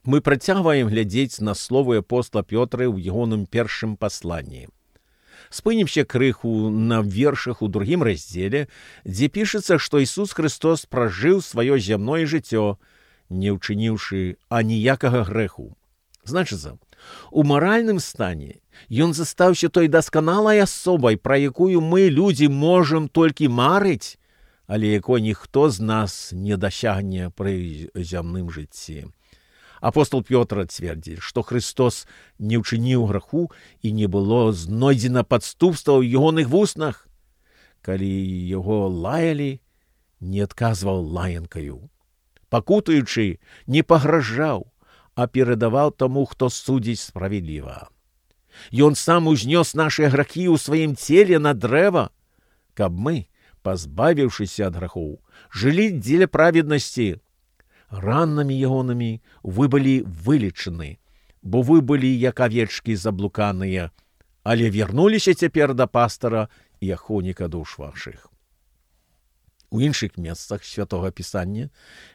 Мы працягваем глядзець на словы апостола Пётра ў ягоным першым пасланні. Спынімся крыху на вершах у другім раздзеле, дзе пішацца, што Ісус Христос пражыў сваё зямное жыццё, не ўчыніўшы аніякага грэху. Значыцца, у маральным стане ён застаўся той дасканалай асобай, пра якую мы, людзі, можам толькі марыць, але якой ніхто з нас не дасягне пры зямным жыцці. Апостол Пётр цвердзіць, што Христос не ўчыніў граху і не было знойдзена падступства ў ягоных вуснах. Калі яго лаялі, не адказваў лаянкаю. Пакутаючы, не пагражаў, а перадаваў таму, хто судзіць справядліва. Ён сам узнёс нашы грахі ў сваім целе на дрэва, каб мы, пазбавіўшыся ад грахоў, жылі дзеля праведнасці. Ранамі ягонамі вы былі вылечаны, бо вы былі як авечкі заблуканыя, але вярнуліся цяпер да пастара і ахоўніка душ вашых. У іншых месцах Святога Пісання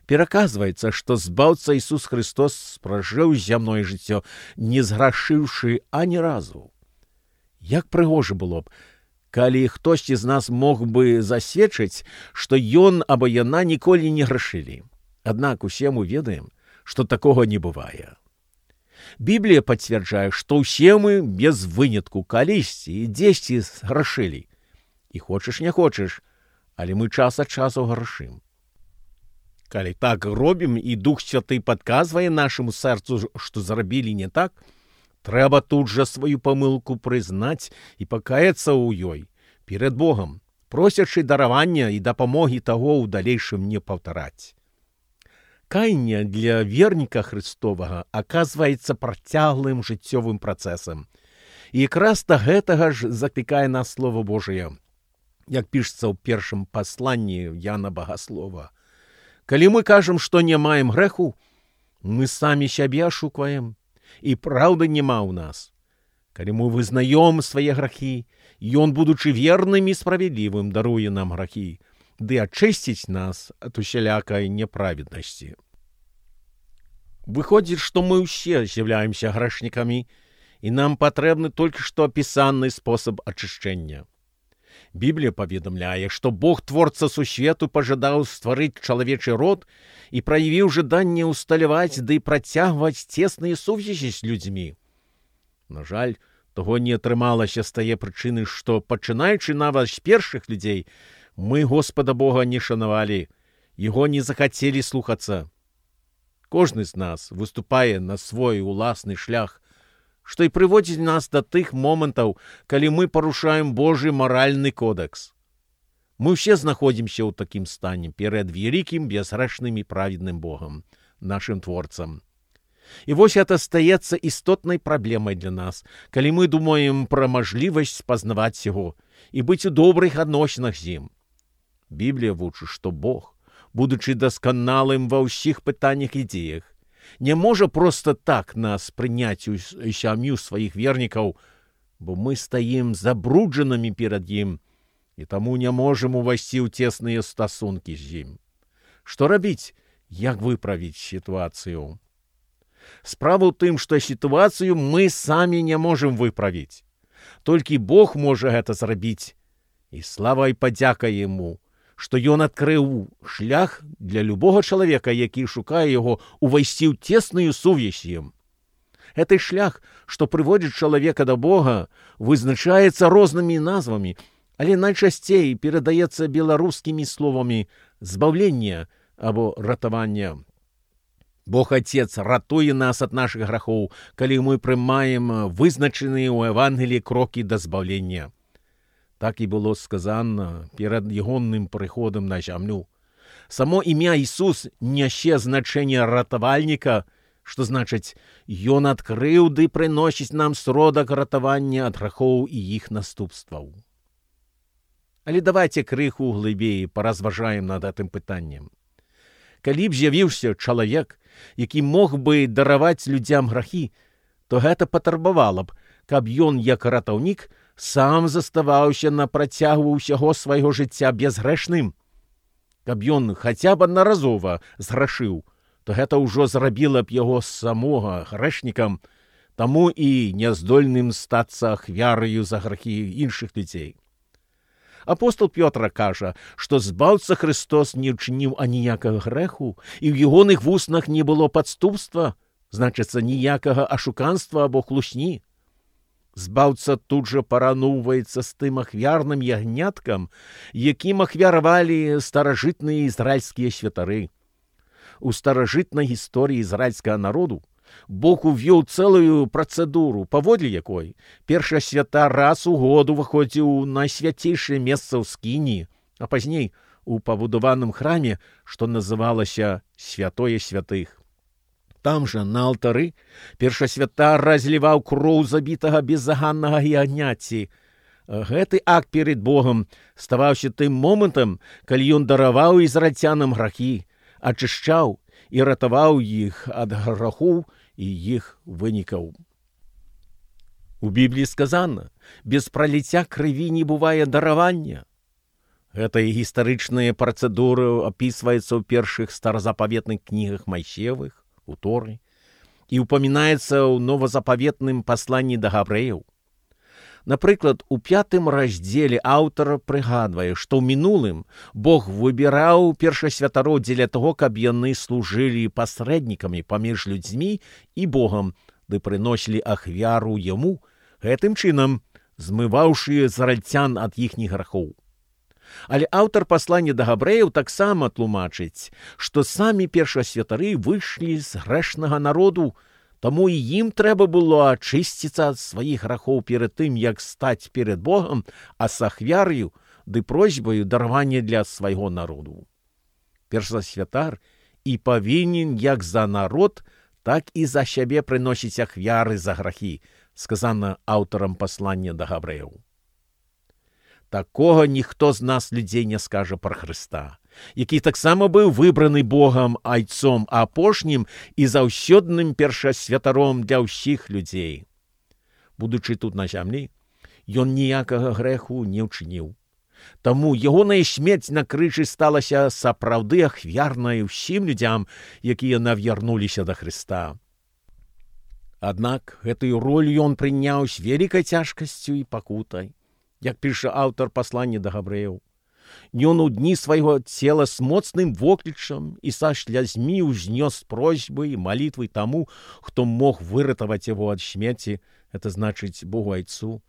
пераказваецца, што збаўца Ісус Христос спражыў зямное жыццё, не зграшыўшы ані разу. Як прыгожа было б, калі хтосьці з нас мог бы засведчыць, што ён або яна ніколі не грашылі. Аднак усе мы ведаем, што такога не бывае. Біблія пацвярджае, што ўсе мы без вынятку калісьці і дзесьці грашылі. І хочаш не хочаш, але мы час ад часу грашым. Калі так робім і Дух Святы падказвае нашаму сэрцу, што зрабілі не так, трэба тут жа сваю памылку прызнаць і пакаяцца ў ёй перад Богам, просячы даравання і дапамогі таго ў далейшым не паўтараць. Каянне для верніка Христовага аказваецца працяглым жыццёвым працэсам. І якраз да гэтага ж заклікае нас Слова Божае, як пішацца ў першым пасланні Яна Багаслова. Калі мы кажам, што не маем грэху, мы самі сябе ашукваем, і праўды няма ў нас. Калі мы вызнаём свае грахі, Ён, будучы верным і справядлівым, даруе нам грахі, ды ачысціць нас ад усялякай неправеднасці. Выходзіць, што мы ўсе з'яўляемся грэшнікамі, і нам патрэбны толькі што апісаны спосаб ачышчэння. Біблія паведамляе, што Бог, творца сусвету, пажадаў стварыць чалавечы род і праявіў жаданне ўсталяваць ды працягваць цесныя сувязі з людзьмі. На жаль, таго не атрымалася з тае прычыны, што, пачынаючы нават з першых людзей, мы Господа Бога не шанавалі, Яго не захацелі слухацца. Кожны з нас выступае на свой уласны шлях, што і прыводзіць нас да тых момантаў, калі мы парушаем Божы маральны кодэкс. Мы ўсе знаходзімся ў такім стане перад вялікім, бязгрэшным і праведным Богам, нашым творцам. І вось гэта стаецца істотнай праблемай для нас, калі мы думаем пра мажлівасць спазнаваць яго і быць у добрых адносінах з ім. Біблія вучыць, што Бог, будучы дасканалым ва ўсіх пытаннях і дзеях, не можа проста так нас прыняць у сям'ю сваіх вернікаў, бо мы стаім забруджанымі перад ім і таму не можам увайсці ў цесныя стасункі з ім. Што рабіць, як выправіць сітуацыю? Справа ў тым, што сітуацыю мы самі не можам выправіць. Толькі Бог можа гэта зрабіць. І слава і падзяка Яму, што Ён адкрыў шлях для любога чалавека, які шукае яго, увайсці ў цесную сувязь з ім. Гэты шлях, што прыводзіць чалавека да Бога, вызначаецца рознымі назвамі, але найчасцей перадаецца беларускімі словамі «збаўленне» або «ратаванне». Бог Отец ратуе нас ад нашых грахоў, калі мы прымаем вызначаныя ў Евангеліі крокі да збаўлення. Так і было сказана перад ягоным прыходам на зямлю. Само імя Ісус нясе значэнне ратавальніка, што значыць, Ён адкрыў ды прыносіць нам сродак ратавання ад грахоў і іх наступстваў. Але давайце крыху глыбей паразважаем над гэтым пытаннем. Калі б з'явіўся чалавек, які мог бы дараваць людзям грахі, то гэта патрабавала б, каб ён, як ратаўнік, сам заставаўся на працягу ўсяго свайго жыцця безгрэшным. Каб ён хаця б аднаразова зграшыў, то гэта ўжо зрабіла б яго самога грэшнікам, таму і няздольным стацца ахвяраю за грахі іншых людзей. Апостол Пётр кажа, што збаўца Христос не ўчыніў аніякага грэху, і ў ягоных вуснах не было падступства, значыцца, ніякага ашуканства або хлусні. Збаўца тут жа параўноўваецца з тым ахвярным ягняткам, якім ахвяравалі старажытныя ізраільскія святары. У старажытнай гісторыі ізраільскага народу Бог увёў цэлую працэдуру, паводле якой першы святар раз у год уваходзіў на свяцейшае месца ў скіні, а пазней у пабудаваным храме, што называлася святое святых. Там жа, на алтары, першы святар разліваў кроў забітага беззаганнага ягняці. Гэты акт перед Богом ставаўся тым момантам, калі ён дараваў ізраільцянам грахі, ачышчаў і ратаваў іх ад грахоў і іх вынікаў. У Бібліі сказана, без праліцця крыві не бывае даравання. Гэтая гістарычная працэдура апісваецца ў першых старазапаветных кнігах Майсеевых, у Торы, і ўпамінаецца ў новазапаветным пасланні да габрэяў. Напрыклад, у 5 раздзеле аўтар прыгадвае, што ў мінулым Бог выбіраў першасвятароў дзеля таго, каб яны служылі пасрэднікамі паміж людзьмі і Богам, ды прыносілі ахвяру яму, гэтым чынам змываўшы ізраільцян ад іхніх грахоў. Але аўтар паслання да габрэяў таксама тлумачыць, што самі першасвятары выйшлі з грэшнага народу, таму і ім трэба было ачысціцца ад сваіх грахоў перад тым, як стаць перад Богам, а з ахвяраю ды просьбаю даравання для свайго народу. Першасвятар і павінен як за народ, так і за сябе прыносіць ахвяры за грахі, сказана аўтарам паслання да габрэяў. Такога ніхто з нас людзей не скажа пра Хрыста, які таксама быў выбраны Богам айцом апошнім і заўсёдным першасвятаром для ўсіх людзей. Будучы тут на зямлі, ён ніякага грэху не ўчыніў. Таму ягоная смерць на крыжы сталася сапраўды ахвярнай усім людзям, якія навярнуліся да Хрыста. Аднак гэтую ролю ён прыняў з вялікай цяжкасцю і пакутай. Як піша аўтар паслання да габрэяў, ён у дні свайго цела з моцным воклічам і са слязьмі ўзнёс просьбы і малітвы таму, хто мог выратаваць яго ад смерці, это значыць Богу айцу,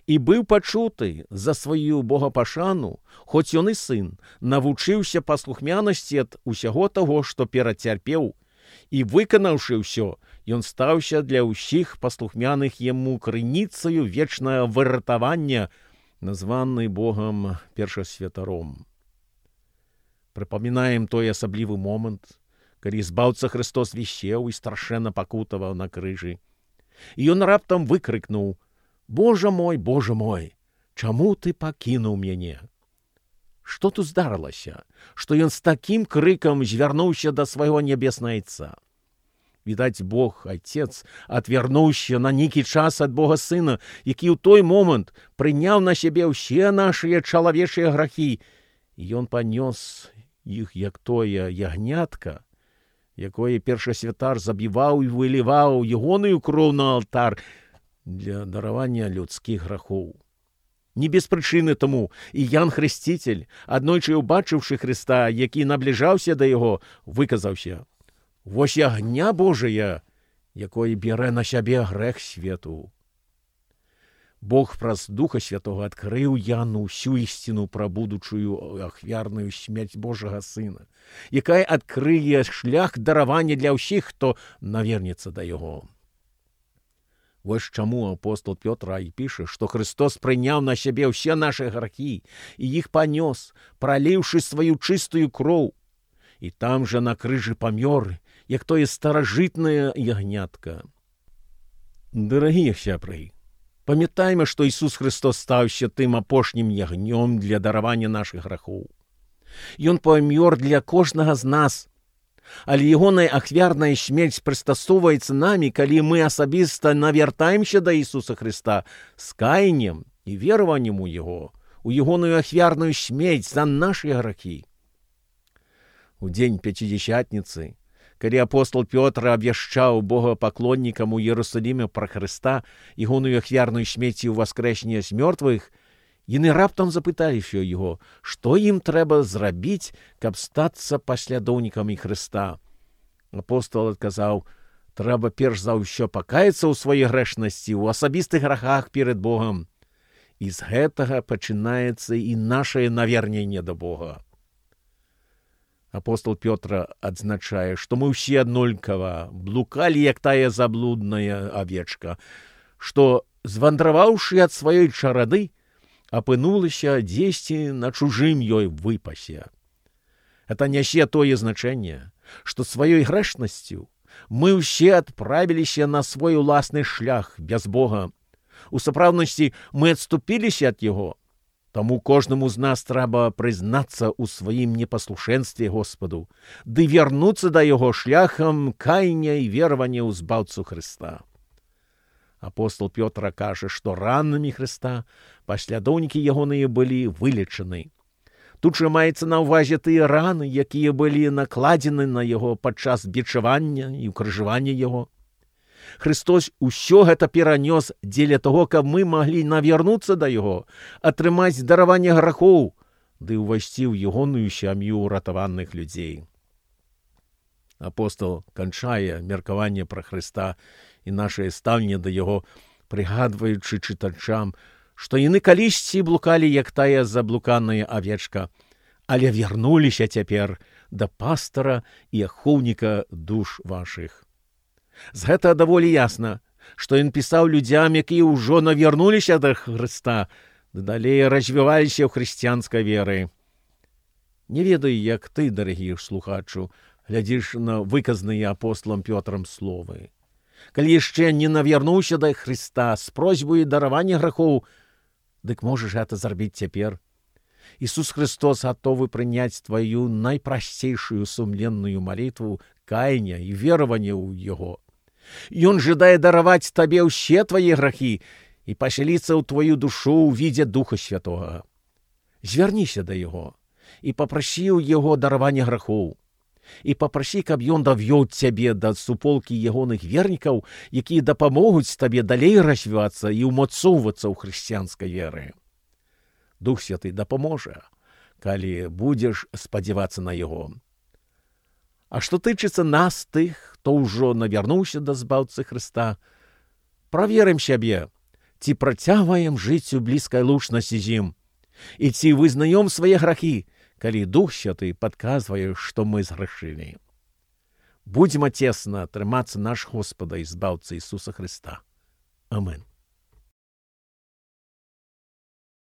і быў пачуты за сваю богапашану, хоць ён і сын, навучыўся паслухмянасці ад усяго таго, што перацярпеў, і, выканаўшы ўсё, ён стаўся для ўсіх паслухмяных яму крыніцаю вечнага выратавання, названы Богам першасвятаром. Прыпамінаем той асаблівы момант, калі збаўца Христос вісеў і страшэнна пакутаваў на крыжы. І ён раптам выкрыкнуў: Боже мой, чаму ты пакінуў мяне? Што тут здарылася, што ён з такім крыкам звярнуўся да свайго нябеснага айца? Відаць, Бог, Айцец, адвярнуўся на нейкі час ад Бога Сына, які ў той момант прыняў на сябе ўсе нашыя чалавечыя грахі, і ён панёс іх як тое ягнятка, якое першасвятар забіваў і выліваў ягоную кроў на алтар для даравання людскіх грахоў. Не без прычыны таму і Ян Хрысціцель, аднойчы ўбачыўшы Хрыста, які набліжаўся да яго, выказаўся: «Вось ягня Божая, якое бярэ на сябе грэх свету». Бог праз Духа Святога адкрыў Яну ўсю ісціну пра будучую ахвярную смерць Божага Сына, якая адкрые шлях даравання для ўсіх, хто навернецца да яго. Вось чаму апостол Пётр і піша, што Христос прыняў на сябе ўсе нашы грахі і іх панёс, праліўшы сваю чыстую кроў, і там жа на крыжы памёр, як тое старажытнае ягнятка. Дарагія сябры, памятайма, што Ісус Христос стаўся тым апошнім ягнём для даравання нашых грахоў. Ён памёр для кожнага з нас, але ягоная ахвярная смерць прыстасоўваецца намі, калі мы асабіста навяртаемся да Ісуса Христа з каяннем і вераваннем у Яго, у ягоную ахвярную смерць за нашыя грахі. У дзень Пяцідзясятніцы, Калі апостол Пётр абвяшчаў богапаклоннікам у Іерусаліме пра Хрыста ігоную ахвярную смерці ў воскрешення з мёртвых, яны раптам запыталіся яго, што ім трэба зрабіць, каб стацца паслядоўнікамі Хрыста. Апостол адказаў: трэба перш за ўсё пакаяцца ў сваёй грэшнасці, ў асабістых грахах перад Богам. І з гэтага пачынаецца і нашае наверненне да Бога. Апостол Пётр адзначае, што мы ўсе аднолькава блукалі, як тая заблудная авечка, што, звандраваўшы ад сваёй чарады, апынулася дзесьці на чужым ёй выпасе. Это нясе тое значэнне, што сваёй грэшнасцю мы ўсе адправіліся на свой уласны шлях без Бога. У сапраўднасці мы адступіліся ад яго. Таму кожнаму з нас трэба прызнацца ў сваім непаслушэнстве Господу, ды вярнуцца да яго шляхам каяння і веравання ў збаўцу Хрыста. Апостол Пётр кажа, што ранамі Хрыста паслядоўнікі ягоныя былі вылечаны. Тут жа маецца на ўвазе тыя раны, якія былі накладзены на яго падчас бичавання і ўкрыжавання яго. Христос усё гэта перанёс дзеля таго, каб мы маглі навярнуцца да яго, атрымаць дараванне грахоў, ды ўвайсці ў ягоную сям'ю ўратаваных людзей. Апостол канчае меркаванне пра Хрыста і нашае стаўленне да яго, прыгадваючы чытачам, што яны калісьці блукалі, як тая заблуканая авечка, але вярнуліся цяпер да пастара і ахоўніка душ вашых. З гэта даволі ясна, што ён пісаў людзям, якія ўжо навярнуліся да Хрыста, ды далей развіваліся ў хрысціянскай веры. Не ведаю, як ты, дарагі слухачу, глядзіш на выказаныя апостолам Пётрам словы. Калі яшчэ не навярнуўся да Хрыста з просьбай даравання грахоў, дык можаш гэта зрабіць цяпер. Ісус Христос гатовы прыняць тваю найпрасцейшую сумленную малітву каяния і веравання ў Яго. Ён жадае дараваць табе ўсе твае грахі і пасяліцца ў твою душу ў відзе Духа Святога. Звярніся да Яго і папрасі ў Яго даравання грахоў. І папрасі, каб Ён давёў цябе да суполкі ягоных вернікаў, якія дапамогуць табе далей развівацца і ўмацоўвацца ў хрысціянскай веры. Дух Святы дапаможа, калі будзеш спадзявацца на Яго. А што тычыцца нас, тых, хто ўжо навярнуўся да збаўцы Хрыста, праверым сябе, ці працягваем жыць у блізкай лучнасці з ім, і ці вызнаём свае грахі, калі Дух Святы падказвае, што мы згрэшылі. Будзем цесна трымацца наш Господа і збаўцы Ісуса Хрыста. Амэн.